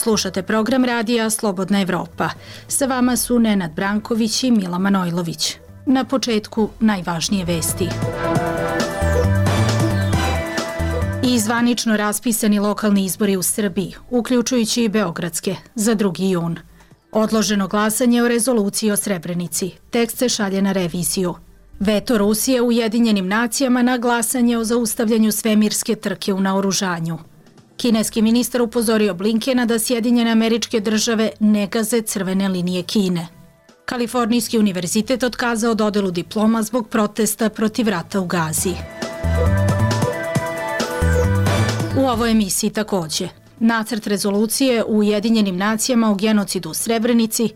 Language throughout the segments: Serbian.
Slušate program radija Slobodna Evropa. Sa vama su Nenad Branković i Mila Manojlović. Na početku najvažnije vesti. I zvanično raspisani lokalni izbori u Srbiji, uključujući i beogradske, za 2. jun. Odloženo glasanje o rezoluciji o Srebrenici. Tekst se šalje na reviziju. Veto Rusije u Ujedinjenim nacijama na glasanje o zaustavljanju svemirske trke u naoružanju. Kineski ministar upozorio Blinkena da Sjedinjene Američke Države ne gaze crvene linije Kine. Kalifornijski univerzitet otkazao dodelu diploma zbog protesta protiv rata u Gazi. U ovoj emisiji takođe. Nacrt rezolucije u Ujedinjenim nacijama o genocidu u Srebrenici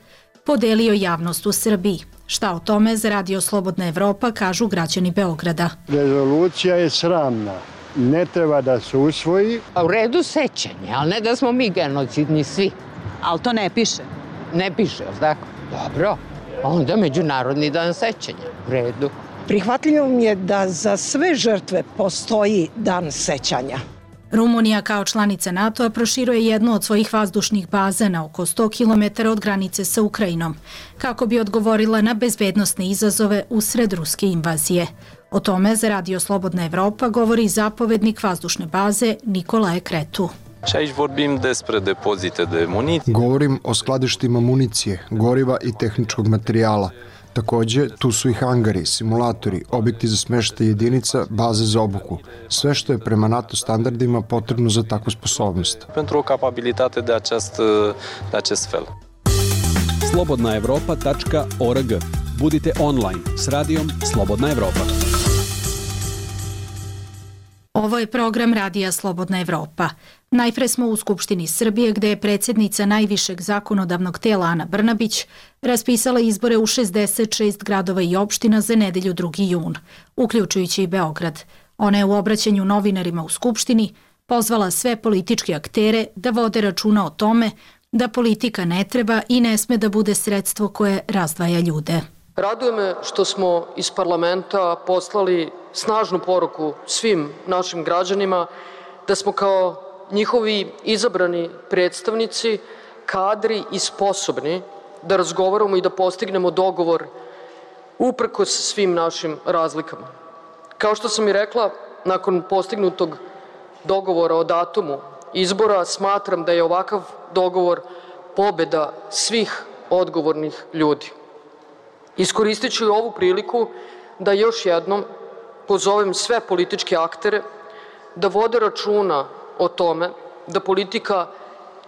podelio javnost u Srbiji. Šta o tome za Radio Slobodna Evropa kažu građani Beograda. Rezolucija je sramna. Ne treba da se usvoji. U redu sećanje, ali ne da smo mi genocidni svi. Ali to ne piše? Ne piše, ali tako? Dobro. Onda Međunarodni dan sećanja. U redu. Prihvatljivo mi je da za sve žrtve postoji dan sećanja. Rumunija kao članica NATO-a proširuje jednu od svojih vazdušnih baza na oko 100 km od granice sa Ukrajinom, kako bi odgovorila na bezbednosne izazove usred ruske invazije. O tome za Radio Slobodna Evropa govori zapovednik vazdušne baze Nicolae Cretu. Govorim o skladištima municije, goriva i tehničkog materijala. Takođe, tu su i hangari, simulatori, objekti za smeštaj jedinica, baze za obuku. Sve što je prema NATO standardima potrebno za takvu sposobnost. slobodnaevropa.org. Budite online s radijom Slobodna Evropa. Ovo je program Radija Slobodna Evropa. Najpre smo u Skupštini Srbije, gde je predsjednica najvišeg zakonodavnog tela Ana Brnabić raspisala izbore u 66 gradova i opština za nedelju 2. jun, uključujući i Beograd. Ona je u obraćanju novinarima u Skupštini pozvala sve političke aktere da vode računa o tome da politika ne treba i ne sme da bude sredstvo koje razdvaja ljude. Raduje me što smo iz parlamenta poslali snažnu poruku svim našim građanima da smo kao njihovi izabrani predstavnici kadri i sposobni da razgovaramo i da postignemo dogovor uprkos svim našim razlikama. Kao što sam i rekla, nakon postignutog dogovora o datumu izbora, smatram da je ovakav dogovor pobeda svih odgovornih ljudi. Iskoristit ću ovu priliku da još jednom pozovem sve političke aktere da vode računa o tome da politika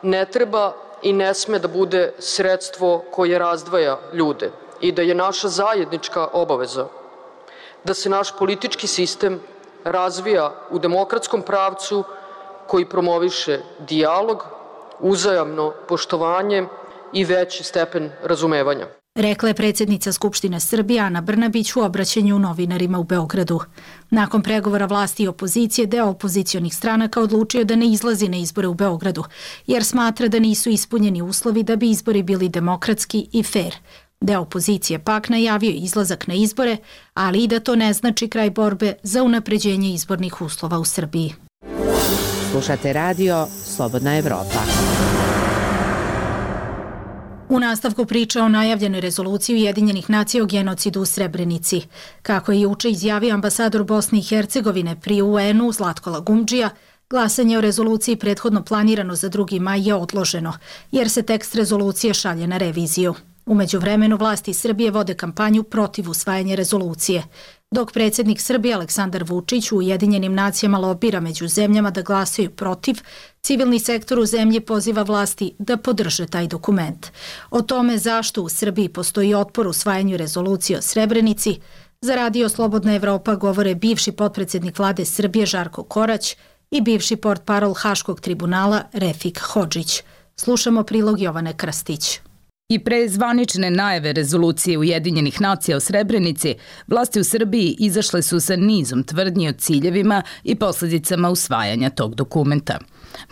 ne treba i ne sme da bude sredstvo koje razdvaja ljude i da je naša zajednička obaveza da se naš politički sistem razvija u demokratskom pravcu koji promoviše dijalog, uzajamno poštovanje i veći stepen razumevanja. Rekla je predsjednica Skupštine Srbije Ana Brnabić u obraćanju novinarima u Beogradu. Nakon pregovora vlasti i opozicije, deo opozicionih stranaka odlučio da ne izlazi na izbore u Beogradu, jer smatra da nisu ispunjeni uslovi da bi izbori bili demokratski i fer. Deo opozicije pak najavio izlazak na izbore, ali i da to ne znači kraj borbe za unapređenje izbornih uslova u Srbiji. Slušate radio Slobodna Evropa. U nastavku priča o najavljenoj rezoluciji Ujedinjenih nacija o genocidu u Srebrenici. Kako je juče izjavio ambasador Bosne i Hercegovine pri UN-u Zlatko Lagumdžija, glasanje o rezoluciji prethodno planirano za 2. maj je odloženo, jer se tekst rezolucije šalje na reviziju. U međuvremenu vlasti Srbije vode kampanju protiv usvajanja rezolucije, dok predsjednik Srbije Aleksandar Vučić u Ujedinjenim nacijama lobira među zemljama da glasaju protiv, civilni sektor u zemlji poziva vlasti da podrže taj dokument. O tome zašto u Srbiji postoji otpor usvajanju rezolucije o Srebrenici, za Radio Slobodna Evropa govore bivši potpredsjednik vlade Srbije Žarko Korać i bivši portparol Haškog tribunala Refik Hodžić. Slušamo prilog Jovane Krstić. I pre zvanične najave rezolucije Ujedinjenih nacija o Srebrenici, vlasti u Srbiji izašle su sa nizom tvrdnji o ciljevima i posledicama usvajanja tog dokumenta.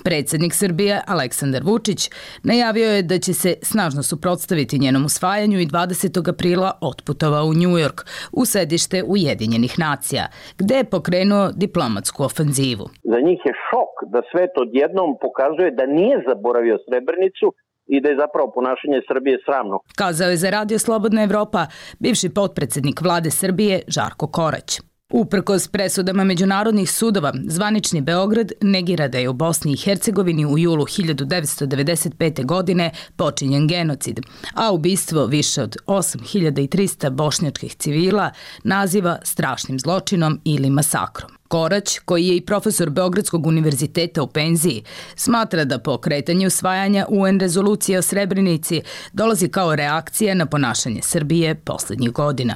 Predsjednik Srbije Aleksandar Vučić najavio je da će se snažno suprotstaviti njenom usvajanju i 20. aprila otputovao u Njujork, u sedište Ujedinjenih nacija, gde je pokrenuo diplomatsku ofenzivu. Za njih je šok da svet odjednom pokazuje da nije zaboravio Srebrenicu i da je zapravo ponašanje Srbije sramno. Kazao je za Radio Slobodna Evropa bivši potpredsednik vlade Srbije Žarko Korać. Uprkos presudama međunarodnih sudova, zvanični Beograd negira da je u Bosni i Hercegovini u julu 1995. godine počinjen genocid, a ubistvo više od 8300 bošnjačkih civila naziva strašnim zločinom ili masakrom. Korać, koji je i profesor Beogradskog univerziteta u penziji, smatra da pokretanje usvajanja UN rezolucije o Srebrenici dolazi kao reakcija na ponašanje Srbije poslednjih godina.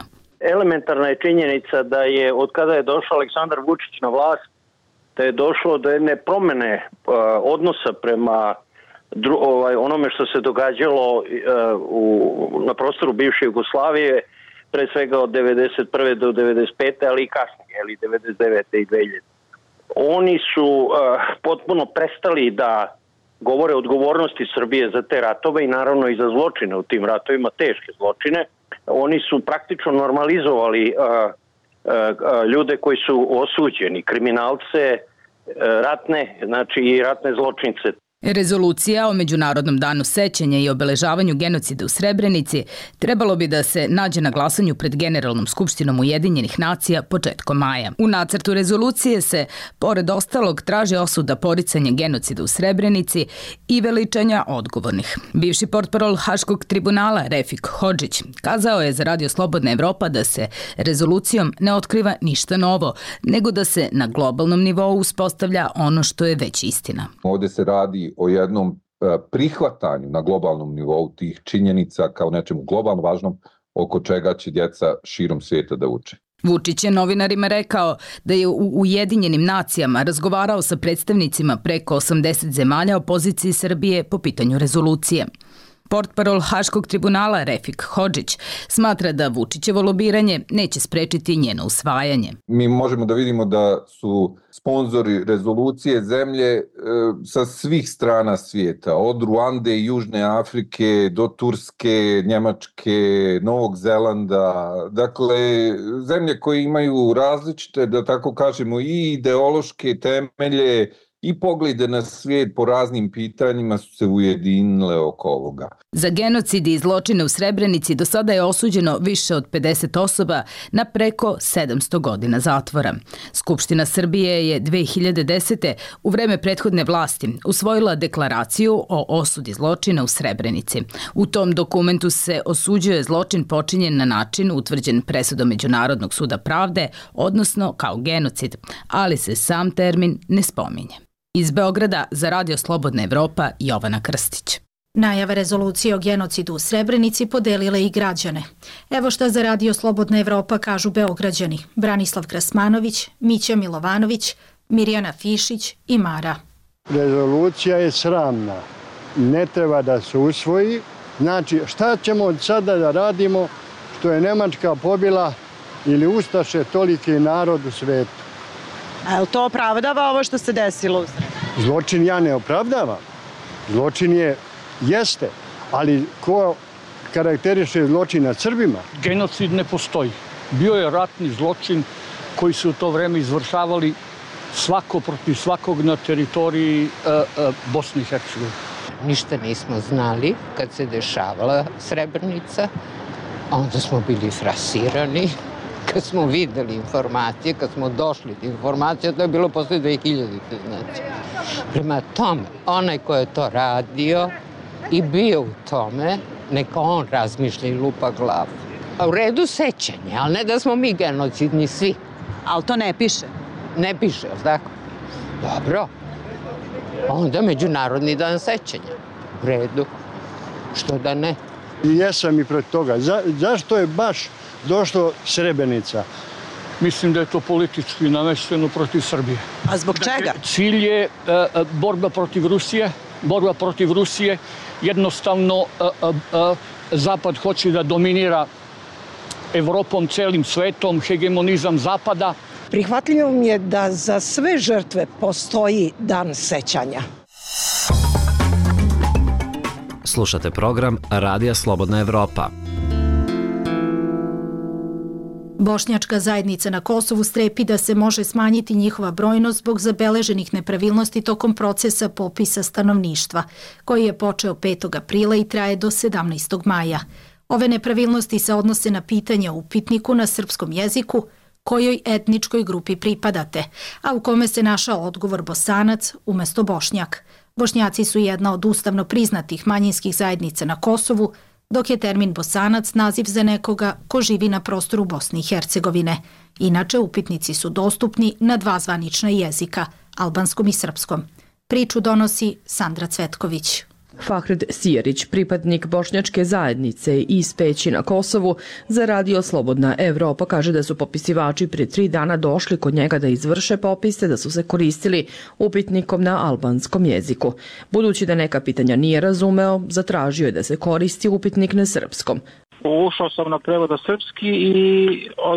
Elementarna je činjenica da je od kada je došao Aleksandar Vučić na vlast, da je došlo do jedne promene odnosa prema onome što se događalo na prostoru bivše Jugoslavije, pre svega od 1991. do 1995. ali i kasnije, 1999. i 2000. Oni su potpuno prestali da govore o odgovornosti Srbije za te ratove i naravno i za zločine u tim ratovima, teške zločine. Oni su praktično normalizovali ljude koji su osuđeni, kriminalce, ratne, znači i ratne zločince. Rezolucija o Međunarodnom danu sećanja i obeležavanju genocida u Srebrenici trebalo bi da se nađe na glasanju pred Generalnom skupštinom Ujedinjenih nacija početkom maja. U nacrtu rezolucije se, pored ostalog, traži osuda poricanja genocida u Srebrenici i veličanja odgovornih. Bivši portparol Haškog tribunala Refik Hodžić kazao je za Radio Slobodna Evropa da se rezolucijom ne otkriva ništa novo, nego da se na globalnom nivou uspostavlja ono što je već istina. Ovde se radi o jednom prihvatanju na globalnom nivou tih činjenica kao nečemu globalno važnom oko čega će djeca širom svijeta da uče. Vučić je novinarima rekao da je u Ujedinjenim nacijama razgovarao sa predstavnicima preko 80 zemalja o poziciji Srbije po pitanju rezolucije. Portparol Haškog tribunala Refik Hodžić smatra da Vučićevo lobiranje neće sprečiti njeno usvajanje. Mi možemo da vidimo da su sponzori rezolucije zemlje sa svih strana svijeta, od Ruande i Južne Afrike do Turske, Njemačke, Novog Zelanda. Dakle, zemlje koje imaju različite, da tako kažemo, i ideološke temelje i poglede na svijet po raznim pitanjima su se ujedinile oko ovoga. Za genocid i zločine u Srebrenici do sada je osuđeno više od 50 osoba na preko 700 godina zatvora. Skupština Srbije je 2010. u vreme prethodne vlasti usvojila deklaraciju o osudi zločina u Srebrenici. U tom dokumentu se osuđuje zločin počinjen na način utvrđen presudom Međunarodnog suda pravde, odnosno kao genocid, ali se sam termin ne spominje. Iz Beograda za Radio Slobodna Evropa Jovana Krstić. Najave rezolucije o genocidu u Srebrenici podelile i građane. Evo šta za Radio Slobodna Evropa kažu Beograđani: Branislav Krasmanović, Mića Milovanović, Mirjana Fišić i Mara. Rezolucija je sramna. Ne treba da se usvoji. Znači, šta ćemo od sada da radimo što je Nemačka pobila ili ustaše toliki narod u svetu? A li to opravdava ovo što se desilo u Srebrenici? Zločin ja ne opravdavam. Zločin jeste, ali ko karakteriše zločin nad Srbima? Genocid ne postoji. Bio je ratni zločin koji su u to vreme izvršavali svako protiv svakog na teritoriji Bosne i Hercegovine. Ništa nismo znali kad se dešavala Srebrenica, onda smo bili frasirani. Kad smo videli informacije, kad smo došli do informacije, to je bilo posle 2000. Znači. Prema tome, onaj ko je to radio i bio u tome, neka on razmišlja i lupa glavu. A u redu sećanje, ali ne da smo mi genocidni svi. Ali to ne piše? Ne piše, ali tako? Dobro. Onda Međunarodni dan sećanja. U redu. Što da ne? I jesam i protiv toga. Zašto je baš došlo Srebrenica? Mislim da je to politički namešteno protiv Srbije. A zbog čega? Cilj je borba protiv Rusije. Borba protiv Rusije jednostavno Zapad hoće da dominira Evropom, celim svetom, hegemonizam Zapada. Prihvatljivo mi je da za sve žrtve postoji dan sećanja. Slušate program Radija Slobodna Evropa. Bošnjačka zajednica na Kosovu strepi da se može smanjiti njihova brojnost zbog zabeleženih nepravilnosti tokom procesa popisa stanovništva, koji je počeo 5. aprila i traje do 17. maja. Ove nepravilnosti se odnose na pitanje u upitniku na srpskom jeziku kojoj etničkoj grupi pripadate, a u kome se našao odgovor Bosanac umjesto Bošnjak. Bošnjaci su jedna od ustavno priznatih manjinskih zajednica na Kosovu, dok je termin Bosanac naziv za nekoga ko živi na prostoru Bosne i Hercegovine. Inače, upitnici su dostupni na 2 zvanična jezika, albanskom i srpskom. Priču donosi Sandra Cvetković. Fahred Sijerić, pripadnik bošnjačke zajednice iz Peći na Kosovu, za Radio Slobodna Evropa kaže da su popisivači prije 3 dana došli kod njega da izvrše popise, da su se koristili upitnikom na albanskom jeziku. Budući da neka pitanja nije razumeo, zatražio je da se koristi upitnik na srpskom. Ušao sam na prevoda srpski i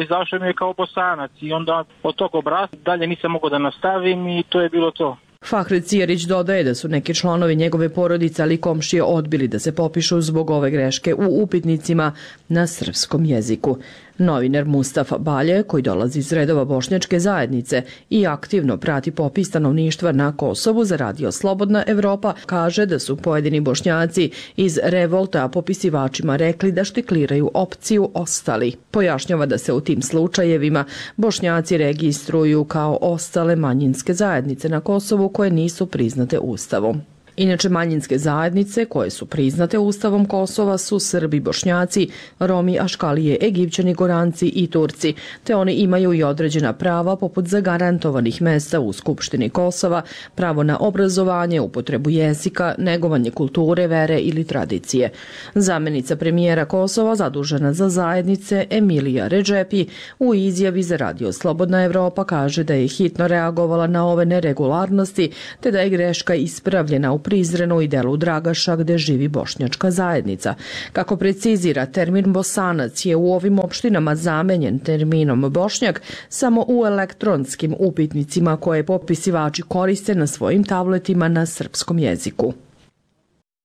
izašao mi je kao Bosanac i onda od tog obrasca dalje nisam mogao da nastavim i to je bilo to. Fahred Sijerić dodaje da su neki članovi njegove porodice ali komšije odbili da se popišu zbog ove greške u upitnicima na srpskom jeziku. Novinar Mustafa Balje, koji dolazi iz redova bošnjačke zajednice i aktivno prati popis stanovništva na Kosovu za Radio Slobodna Evropa, kaže da su pojedini Bošnjaci iz revolta popisivačima rekli da štikliraju opciju ostali. Pojašnjava da se u tim slučajevima Bošnjaci registruju kao ostale manjinske zajednice na Kosovu koje nisu priznate Ustavom. Inače, manjinske zajednice koje su priznate Ustavom Kosova su Srbi, Bošnjaci, Romi, Aškalije, Egipćani, Goranci i Turci, te oni imaju i određena prava poput zagarantovanih mesta u Skupštini Kosova, pravo na obrazovanje, upotrebu jezika, negovanje kulture, vere ili tradicije. Zamenica premijera Kosova zadužena za zajednice Emilija Redžepi u izjavi za Radio Slobodna Evropa kaže da je hitno reagovala na ove neregularnosti, te da je greška ispravljena u Prizrenu i delu Dragaša gde živi bošnjačka zajednica. Kako precizira, termin Bosanac je u ovim opštinama zamenjen terminom Bošnjak samo u elektronskim upitnicima koje popisivači koriste na svojim tabletima na srpskom jeziku.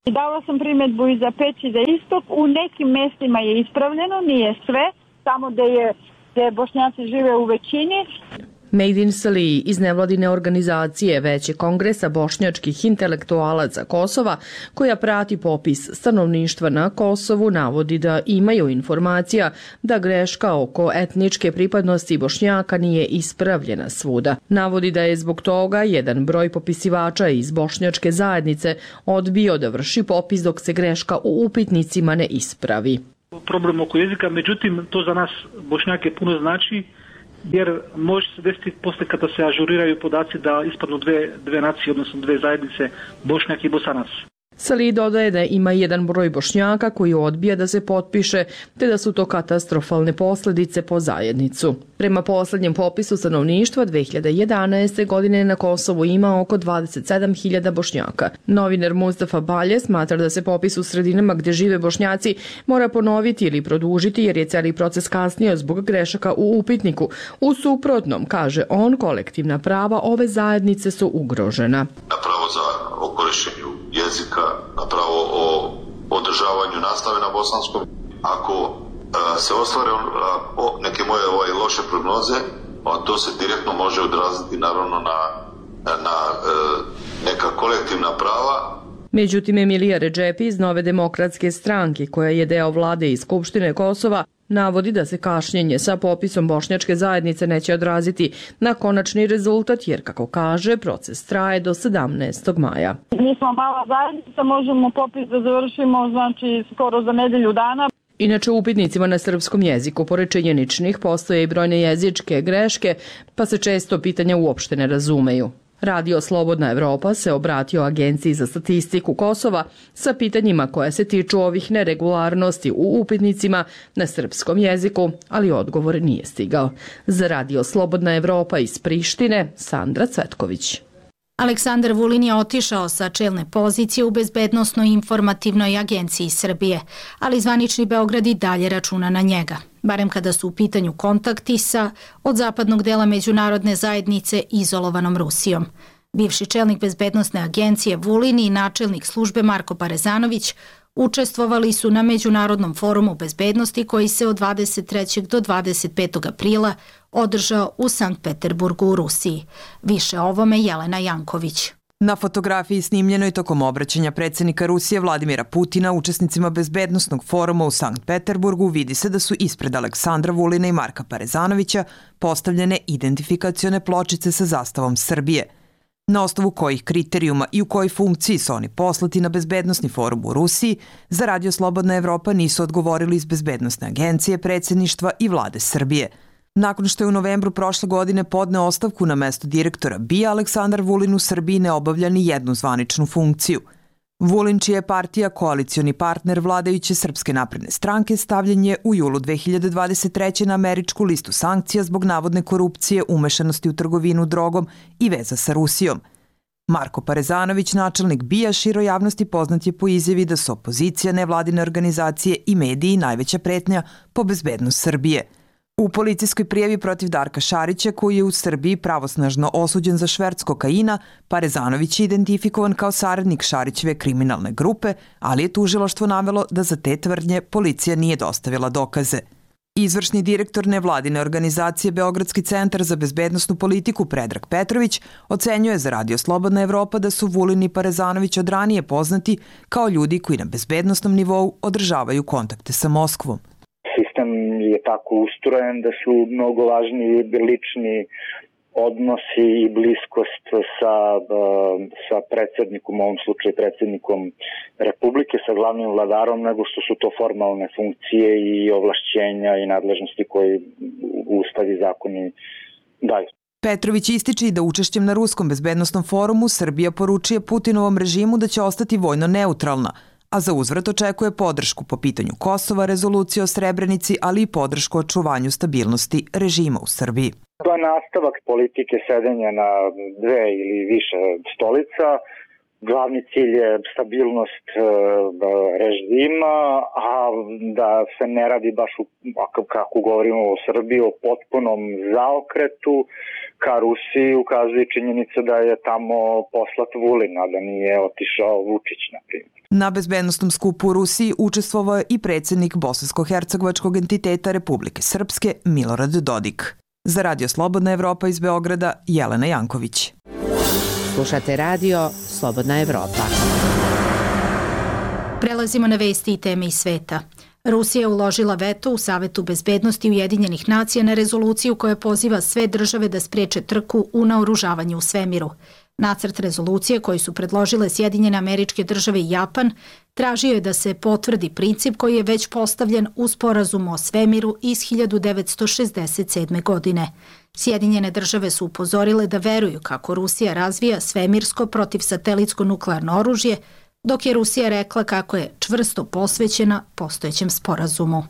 Dala sam primjedbu i za Peć i za Istok. U nekim mestima je ispravljeno, nije sve, samo gde Bošnjaci žive u većini. Mejdin Salih iz nevladine organizacije Veće kongresa bošnjačkih intelektualaca Kosova, koja prati popis stanovništva na Kosovu, navodi da imaju informacija da greška oko etničke pripadnosti Bošnjaka nije ispravljena svuda. Navodi da je zbog toga jedan broj popisivača iz bošnjačke zajednice odbio da vrši popis dok se greška u upitnicima ne ispravi. Problem oko jezika, međutim, to za nas Bošnjake puno znači, jer može se desiti posle kada se ažuriraju podaci da ispadnu dve nacije, odnosno 2 zajednice, Bošnjak i Bosanac. Salih dodaje da ima jedan broj Bošnjaka koji odbija da se potpiše, te da su to katastrofalne posljedice po zajednicu. Prema posljednjem popisu stanovništva 2011. godine na Kosovu ima oko 27.000 Bošnjaka. Novinar Mustafa Balje smatra da se popis u sredinama gdje žive Bošnjaci mora ponoviti ili produžiti jer je cijeli proces kasnio zbog grešaka u upitniku. U suprotnom, kaže on, kolektivna prava ove zajednice su ugrožena. Na pravo za korištenju jezika, na pravo o održavanju nastave na bosanskom. Ako se ostvare neke moje loše prognoze, to se direktno može odraziti naravno na neka kolektivna prava. Međutim, Emilija Redžepi iz Nove demokratske stranke, koja je deo vlade i Skupštine Kosova, navodi da se kašnjenje sa popisom bošnjačke zajednice neće odraziti na konačni rezultat, jer, kako kaže, proces traje do 17. maja. Mi smo mala zajednica, možemo popis da završimo, znači, skoro za nedelju dana. Inače, u upitnicima na srpskom jeziku, pored činjeničnih, postoje i brojne jezičke greške, pa se često pitanja uopšte ne razumeju. Radio Slobodna Evropa se obratio Agenciji za statistiku Kosova sa pitanjima koja se tiču ovih neregularnosti u upitnicima na srpskom jeziku, ali odgovor nije stigao. Za Radio Slobodna Evropa iz Prištine, Sandra Cvetković. Aleksandar Vulin je otišao sa čelne pozicije u Bezbednosno-informativnoj agenciji Srbije, ali zvanični Beograd i dalje računa na njega, barem kada su u pitanju kontakti sa od zapadnog dela međunarodne zajednice izolovanom Rusijom. Bivši čelnik Bezbednosne agencije Vulin i načelnik službe Marko Parezanović učestvovali su na Međunarodnom forumu bezbednosti koji se od 23. do 25. aprila održao u Sankt Peterburgu u Rusiji. Više o ovome Jelena Janković. Na fotografiji snimljenoj tokom obraćanja predsjednika Rusije Vladimira Putina učesnicima Bezbednosnog foruma u Sankt Peterburgu vidi se da su ispred Aleksandra Vulina i Marka Parezanovića postavljene identifikacione pločice sa zastavom Srbije. Na osnovu kojih kriterijuma i u kojoj funkciji su oni poslati na Bezbednosni forum u Rusiji, za Radio Slobodna Evropa nisu odgovorili iz Bezbednosne agencije, predsjedništva i vlade Srbije. Nakon što je u novembru prošle godine podneo ostavku na mesto direktora BIA, Aleksandar Vulin u Srbiji ne obavlja ni jednu zvaničnu funkciju. Vulin, čija je partija koalicioni partner vladajuće Srpske napredne stranke, stavljen je u julu 2023. na američku listu sankcija zbog navodne korupcije, umešanosti u trgovinu drogom i veza sa Rusijom. Marko Parezanović, načelnik BIA, široj javnosti poznat je po izjavi da su opozicija, nevladine organizacije i mediji najveća pretnja po bezbednost Srbije. U policijskoj prijavi protiv Darka Šarića, koji je u Srbiji pravosnažno osuđen za šverc kokaina, Parezanović je identifikovan kao saradnik Šarićeve kriminalne grupe, ali je tužilaštvo navelo da za te tvrdnje policija nije dostavila dokaze. Izvršni direktor nevladine organizacije Beogradski centar za bezbednosnu politiku Predrag Petrović ocenjuje za Radio Slobodna Evropa da su Vulin i Parezanović od ranije poznati kao ljudi koji na bezbednosnom nivou održavaju kontakte sa Moskvom. Sistem je tako ustrojen da su mnogo važniji lični odnosi i bliskost sa predsjednikom, u ovom slučaju predsjednikom Republike, sa glavnim vladarom, nego što su to formalne funkcije i ovlašćenja i nadležnosti koje Ustav i zakoni daju. Petrović ističe i da učešćem na Ruskom bezbednosnom forumu Srbija poručuje Putinovom režimu da će ostati vojno neutralna, a za uzvrat očekuje podršku po pitanju Kosova, rezolucije o Srebrenici, ali i podršku očuvanju stabilnosti režima u Srbiji. To je nastavak politike sedenja na dve ili više stolica. Glavni cilj je stabilnost režima, a da se ne radi baš, kako govorimo o Srbiji, o potpunom zaokretu ka Rusiji, ukazuje činjenica da je tamo poslat Vulin, a da nije otišao Vučić, na primjer. Na bezbednostnom skupu u Rusiji učestvovao je i predsjednik bosansko-hercegovačkog entiteta Republike Srpske Milorad Dodik. Za Radio Slobodna Evropa iz Beograda, Jelena Janković. Slušate Radio Slobodna Evropa. Prelazimo na vesti i teme iz sveta. Rusija je uložila veto u Savetu bezbednosti Ujedinjenih nacija na rezoluciju koja poziva sve države da spreče trku u naoružavanju u svemiru. Nacrt rezolucije koji su predložile Sjedinjene Američke Države i Japan tražio je da se potvrdi princip koji je već postavljen u sporazumu o svemiru iz 1967. godine. Sjedinjene države su upozorile da veruju kako Rusija razvija svemirsko protivsatelitsko nuklearno oružje, dok je Rusija rekla kako je čvrsto posvećena postojećem sporazumu.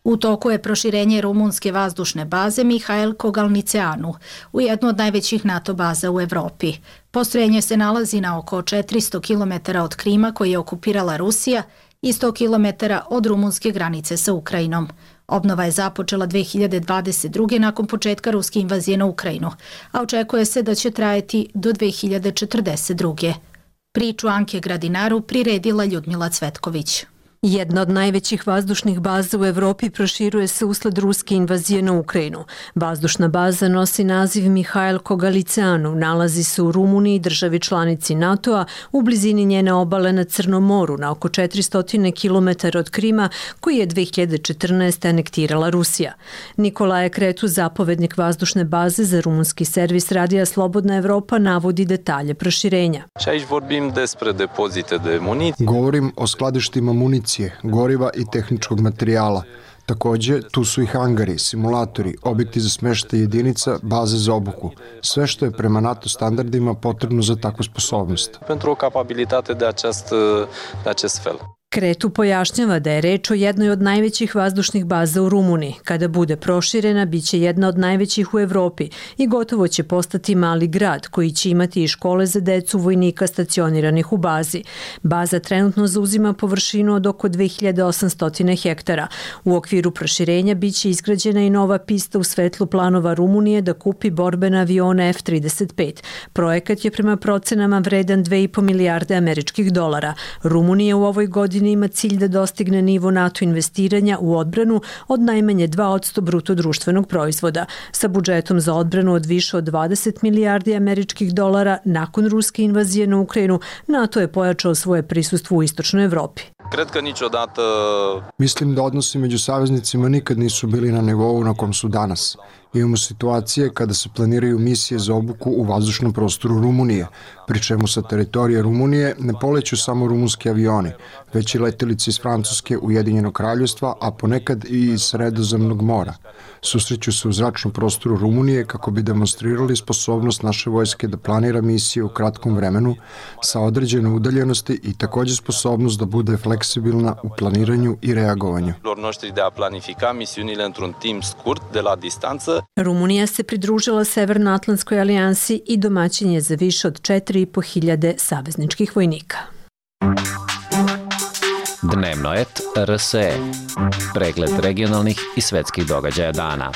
U toku je proširenje rumunske vazdušne baze Mihail Kogalniceanu u jednu od najvećih NATO baza u Evropi. Postrojenje se nalazi na oko 400 km od Krima koji je okupirala Rusija i 100 km od rumunske granice sa Ukrajinom. Obnova je započela 2022. nakon početka ruske invazije na Ukrajinu, a očekuje se da će trajati do 2042. Priču Anke Gradinaru priredila Ljudmila Cvetković. Jedna od najvećih vazdušnih baza u Evropi proširuje se usled ruske invazije na Ukrajinu. Vazdušna baza nosi naziv Mihail Kogalniceanu, nalazi se u Rumuniji, državi članici NATO-a, u blizini njene obale na Crnom moru, na oko 400 km od Krima, koji je 2014. anektirala Rusija. Nikolaje Kretu, zapovednik vazdušne baze za rumunski servis Radija Slobodna Evropa, navodi detalje proširenja. Govorim o skladištima municije, goriva i tehničkog materijala. Takođe, tu su i hangari, simulatori, objekti za smeštaj jedinica, baze za obuku. Sve što je prema NATO standardima potrebno za takvu sposobnost. Kretu pojašnjava da je reč o jednoj od najvećih vazdušnih baza u Rumuniji. Kada bude proširena, bit će jedna od najvećih u Evropi i gotovo će postati mali grad koji će imati i škole za decu vojnika stacioniranih u bazi. Baza trenutno zauzima površinu od oko 2800 hektara. U okviru proširenja bit će izgrađena i nova pista u svetlu planova Rumunije da kupi borbene avione F-35. Projekat je prema procenama vredan 2,5 milijarde američkih dolara. Rumunija u ovoj godini ima cilj da dostigne nivo NATO investiranja u odbranu od najmanje 2% bruto društvenog proizvoda. Sa budžetom za odbranu od više od 20 milijardi američkih dolara nakon ruske invazije na Ukrajinu, NATO je pojačao svoje prisustvo u istočnoj Evropi. Mislim da odnosi među saveznicima nikad nisu bili na nivou na kom su danas. Imamo situacije kada se planiraju misije za obuku u vazdušnom prostoru Rumunije, pri čemu sa teritorije Rumunije ne poleću samo rumunski avioni, već i letelice iz Francuske, Ujedinjenog kraljevstva, a ponekad i iz Sredozemnog mora. Susreću se u zračnom prostoru Rumunije kako bi demonstrirali sposobnost naše vojske da planira misije u kratkom vremenu sa određene udaljenosti i takođe sposobnost da bude fleksibilna u planiranju i reagovanju. Rumunija se pridružila Severnoatlantskoj alijansi i domaćin je za više od 4.500 savezničkih vojnika. Dnevno et RSE. Pregled regionalnih i svetskih događaja dana.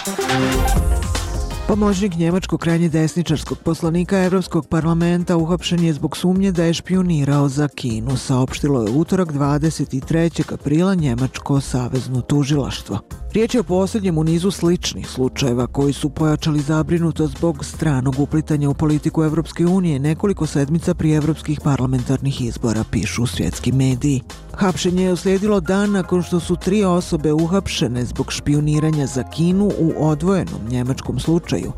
Pomoćnik njemačkog krajnje desničarskog poslanika Evropskog parlamenta uhapšen je zbog sumnje da je špijunirao za Kinu, saopštilo je utorak 23. aprila njemačko savezno tužilaštvo. Riječ je o posljednjem u nizu sličnih slučajeva koji su pojačali zabrinutost zbog stranog uplitanja u politiku Evropske unije nekoliko sedmica prije evropskih parlamentarnih izbora, pišu svjetski mediji. Hapšenje je uslijedilo dan nakon što su 3 osobe uhapšene zbog špijuniranja za Kinu u odvojenom njemačkom slučaju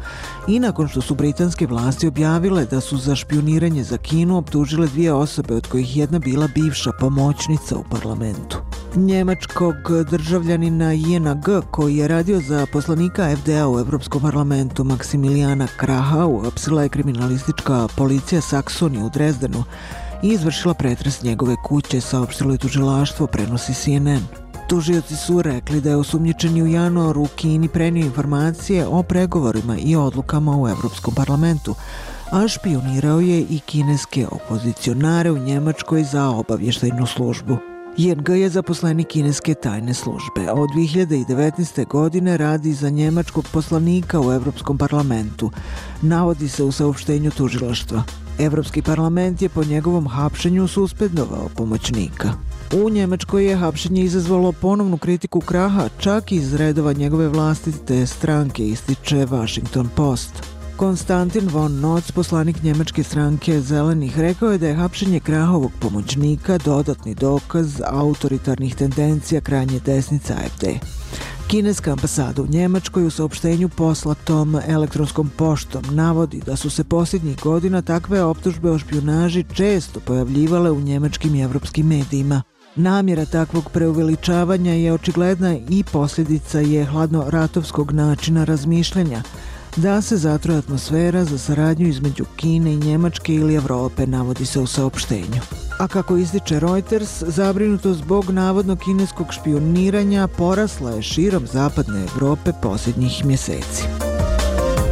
i nakon što su britanske vlasti objavile da su za špijuniranje za Kinu optužile 2 osobe, od kojih jedna bila bivša pomoćnica u parlamentu. Njemačkog državljanina ING koji je radio za poslanika FDA u Evropskom parlamentu Maksimilijana Kraha uhapsila je kriminalistička policija Saksonije u Drezdenu i izvršila pretres njegove kuće, saopštilo je tužilaštvo, prenosi CNN. Tužioci su rekli da je osumnjičeni u januaru Kini prenio informacije o pregovorima i odlukama u Evropskom parlamentu, a špijunirao je i kineske opozicionare u Njemačkoj za obavještajnu službu. ING je zaposlenik kineske tajne službe. Od 2019. godine radi za njemačkog poslanika u Evropskom parlamentu, navodi se u saopštenju tužilaštva. Evropski parlament je po njegovom hapšenju suspendovao pomoćnika. U Njemačkoj je hapšenje izazvalo ponovnu kritiku Kraha, čak iz redova njegove vlastite stranke, ističe Washington Post. Konstantin von Notz, poslanik njemačke stranke Zelenih, rekao je da je hapšenje Krahovog pomoćnika dodatni dokaz autoritarnih tendencija krajnje desnice AfD. Kineska ambasada u Njemačkoj u saopštenju poslatom elektronskom poštom navodi da su se posljednjih godina takve optužbe o špijunaži često pojavljivale u njemačkim i evropskim medijima. Namjera takvog preuveličavanja je očigledna i posljedica je hladnoratovskog načina razmišljanja, da se zatruje atmosfera za saradnju između Kine i Njemačke ili Evrope, navodi se u saopštenju. A kako ističe Reuters, zabrinutost zbog navodno kineskog špijuniranja porasla je širom zapadne Evrope posljednjih mjeseci.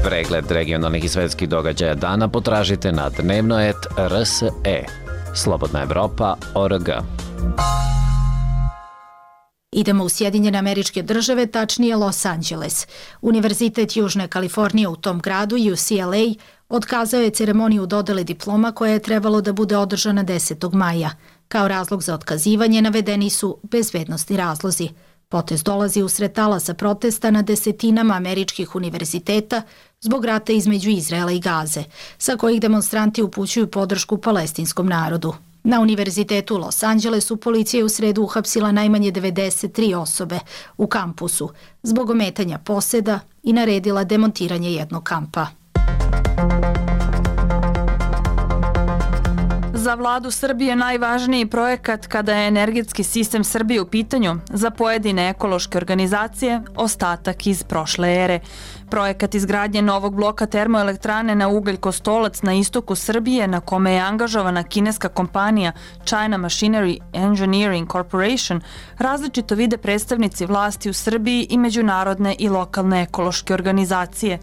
Pregled regionalnih i svetskih događaja dana potražite na dnevnoet.rse. Slobodna Evropa.org. Idemo u Sjedinjene Američke Države, tačnije Los Angeles. Univerzitet Južne Kalifornije u tom gradu, UCLA, otkazao je ceremoniju dodele diploma koja je trebalo da bude održana 10. maja. Kao razlog za otkazivanje navedeni su bezbednosni razlozi. Potez dolazi usred talasa protesta na desetinama američkih univerziteta zbog rata između Izraela i Gaze, sa kojih demonstranti upućuju podršku palestinskom narodu. Na univerzitetu u Los Angelesu policija je u sredu uhapsila najmanje 93 osobe u kampusu zbog ometanja poseda i naredila demontiranje jednog kampa. Za vladu Srbije najvažniji projekat kada je energetski sistem Srbije u pitanju, za pojedine ekološke organizacije ostatak iz prošle ere. Projekat izgradnje novog bloka termoelektrane na ugalj Kostolac na istoku Srbije, na kome je angažovana kineska kompanija China Machinery Engineering Corporation, različito vide predstavnici vlasti u Srbiji i međunarodne i lokalne ekološke organizacije.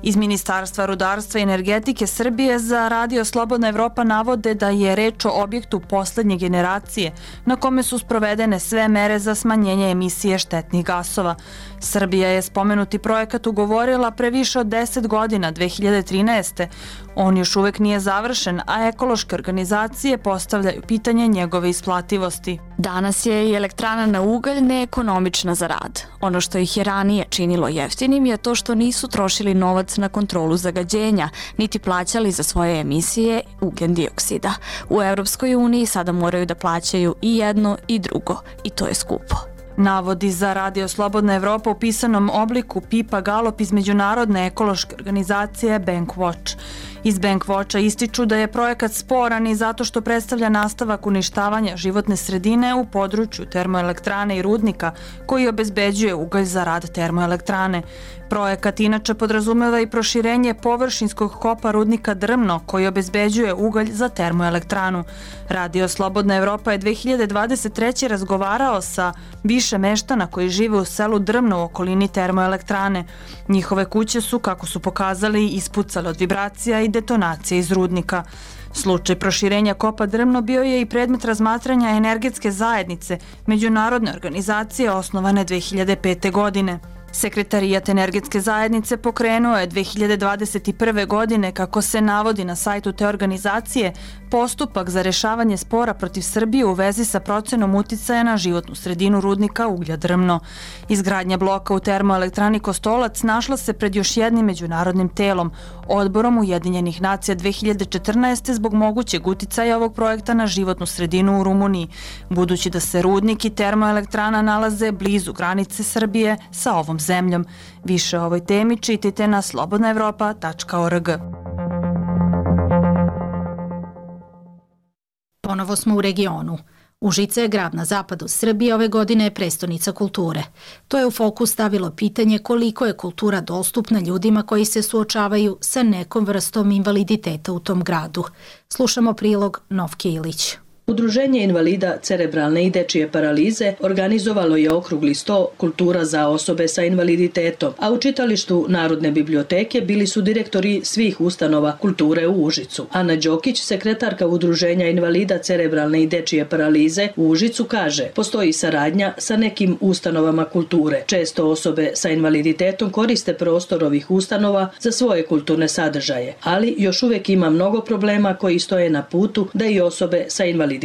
Iz Ministarstva rudarstva i energetike Srbije za Radio Slobodna Evropa navode da je reč o objektu poslednje generacije na kome su sprovedene sve mere za smanjenje emisije štetnih gasova. Srbija je spomenuti projekat ugovorila pre više od 10 godina, 2013. On još uvek nije završen, a ekološke organizacije postavljaju pitanje njegove isplativosti. Danas je i elektrana na ugalj neekonomična za rad. Ono što ih je ranije činilo jeftinim je to što nisu trošili novac na kontrolu zagađenja, niti plaćali za svoje emisije ugljen dioksida. U Evropskoj uniji sada moraju da plaćaju i jedno i drugo, i to je skupo. Navodi za Radio Slobodna Evropa u pisanom obliku Pipa Galop iz međunarodne ekološke organizacije Bankwatch. Iz Bankwatcha ističu da je projekat sporan i zato što predstavlja nastavak uništavanja životne sredine u području termoelektrane i rudnika koji obezbeđuje ugalj za rad termoelektrane. Projekat inače podrazumeva i proširenje površinskog kopa rudnika Drmno koji obezbeđuje ugalj za termoelektranu. Radio Slobodna Evropa je 2023. razgovarao sa više meštana koji žive u selu Drmno u okolini termoelektrane. Njihove kuće su, kako su pokazali, ispucale od vibracija i detonacije iz rudnika. Slučaj proširenja kopa Drmno bio je i predmet razmatranja energetske zajednice, međunarodne organizacije osnovane 2005. godine. Sekretarijat energetske zajednice pokrenuo je 2021. godine, kako se navodi na sajtu te organizacije, postupak za rešavanje spora protiv Srbije u vezi sa procenom uticaja na životnu sredinu rudnika uglja Drmno. Izgradnja bloka u termoelektrani Kostolac našla se pred još jednim međunarodnim telom, Odborom Ujedinjenih nacija 2014. zbog mogućeg uticaja ovog projekta na životnu sredinu u Rumuniji, budući da se rudnik i termoelektrana nalaze blizu granice Srbije sa ovom zemljom. Više o ovoj temi čitajte na slobodnaevropa.org. Ponovo smo u regionu. Užice je grad na zapadu Srbije, ove godine je prestonica kulture. To je u fokus stavilo pitanje koliko je kultura dostupna ljudima koji se suočavaju sa nekom vrstom invaliditeta u tom gradu. Slušamo prilog Novke Ilić. Udruženje invalida cerebralne i dečije paralize organizovalo je okrugli sto Kultura za osobe sa invaliditetom, a u čitalištu Narodne biblioteke bili su direktori svih ustanova kulture u Užicu. Ana Đokić, sekretarka Udruženja invalida cerebralne i dečije paralize u Užicu, kaže: postoji saradnja sa nekim ustanovama kulture. Često osobe sa invaliditetom koriste prostor ovih ustanova za svoje kulturne sadržaje, ali još uvek ima mnogo problema koji stoje na putu da i osobe sa invaliditetom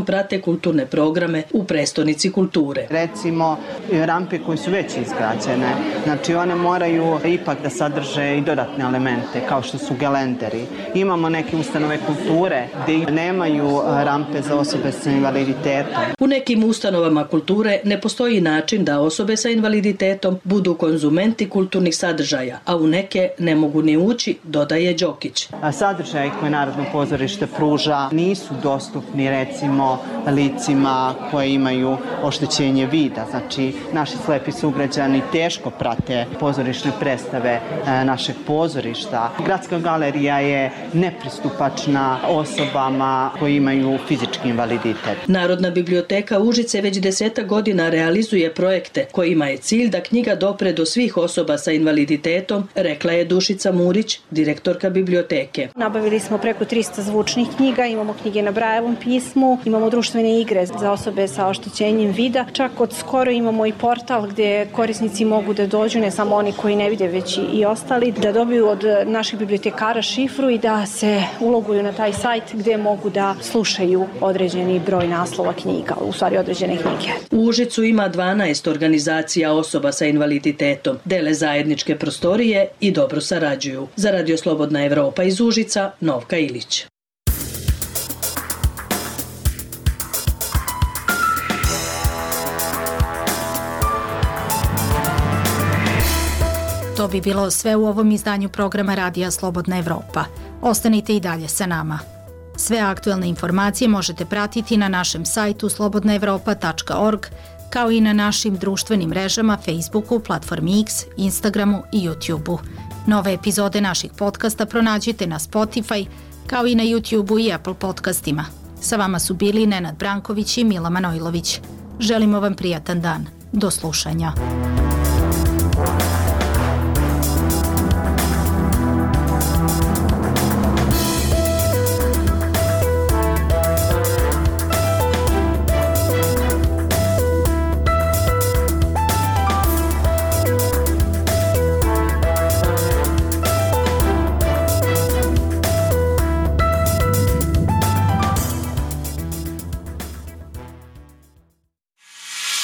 prate kulturne programe u prestonici kulture. Recimo, rampe koje su već izgrađene, znači one moraju ipak da sadrže i dodatne elemente, kao što su gelenderi. Imamo neke ustanove kulture gde nemaju rampe za osobe sa invaliditetom. U nekim ustanovama kulture ne postoji način da osobe sa invaliditetom budu konzumenti kulturnih sadržaja, a u neke ne mogu ni ući, dodaje Đokić. Sadržaje koje Narodno pozorište pruža nisu dostupni recimo licima koje imaju oštećenje vida. Znači, naši slepi sugrađani teško prate pozorišne predstave našeg pozorišta. Gradska galerija je nepristupačna osobama koji imaju fizički invaliditet. Narodna biblioteka Užice već 10 godina realizuje projekte kojima je cilj da knjiga dopre do svih osoba sa invaliditetom, rekla je Dušica Murić, direktorka biblioteke. Nabavili smo preko 300 zvučnih knjiga, imamo knjige na Brajevom pismu, imamo društvene igre za osobe sa oštećenjem vida. Čak od skoro imamo i portal gdje korisnici mogu da dođu, ne samo oni koji ne vide, već i ostali, da dobiju od naših bibliotekara šifru i da se uloguju na taj sajt gdje mogu da slušaju određeni broj naslova knjiga, u stvari određene knjige. U Užicu ima 12 organizacija osoba sa invaliditetom, dele zajedničke prostorije i dobro sarađuju. Za Radio Slobodna Evropa iz Užica, Novka Ilić. To bi bilo sve u ovom izdanju programa Radija Slobodna Evropa. Ostanite i dalje sa nama. Sve aktuelne informacije možete pratiti na našem sajtu slobodnaevropa.org, kao i na našim društvenim mrežama Facebooku, platformi X, Instagramu i YouTubeu. Nove epizode naših podcasta pronađite na Spotify, kao i na YouTubeu i Apple podcastima. Sa vama su bili Nenad Branković i Mila Manojlović. Želimo vam prijatan dan. Do slušanja.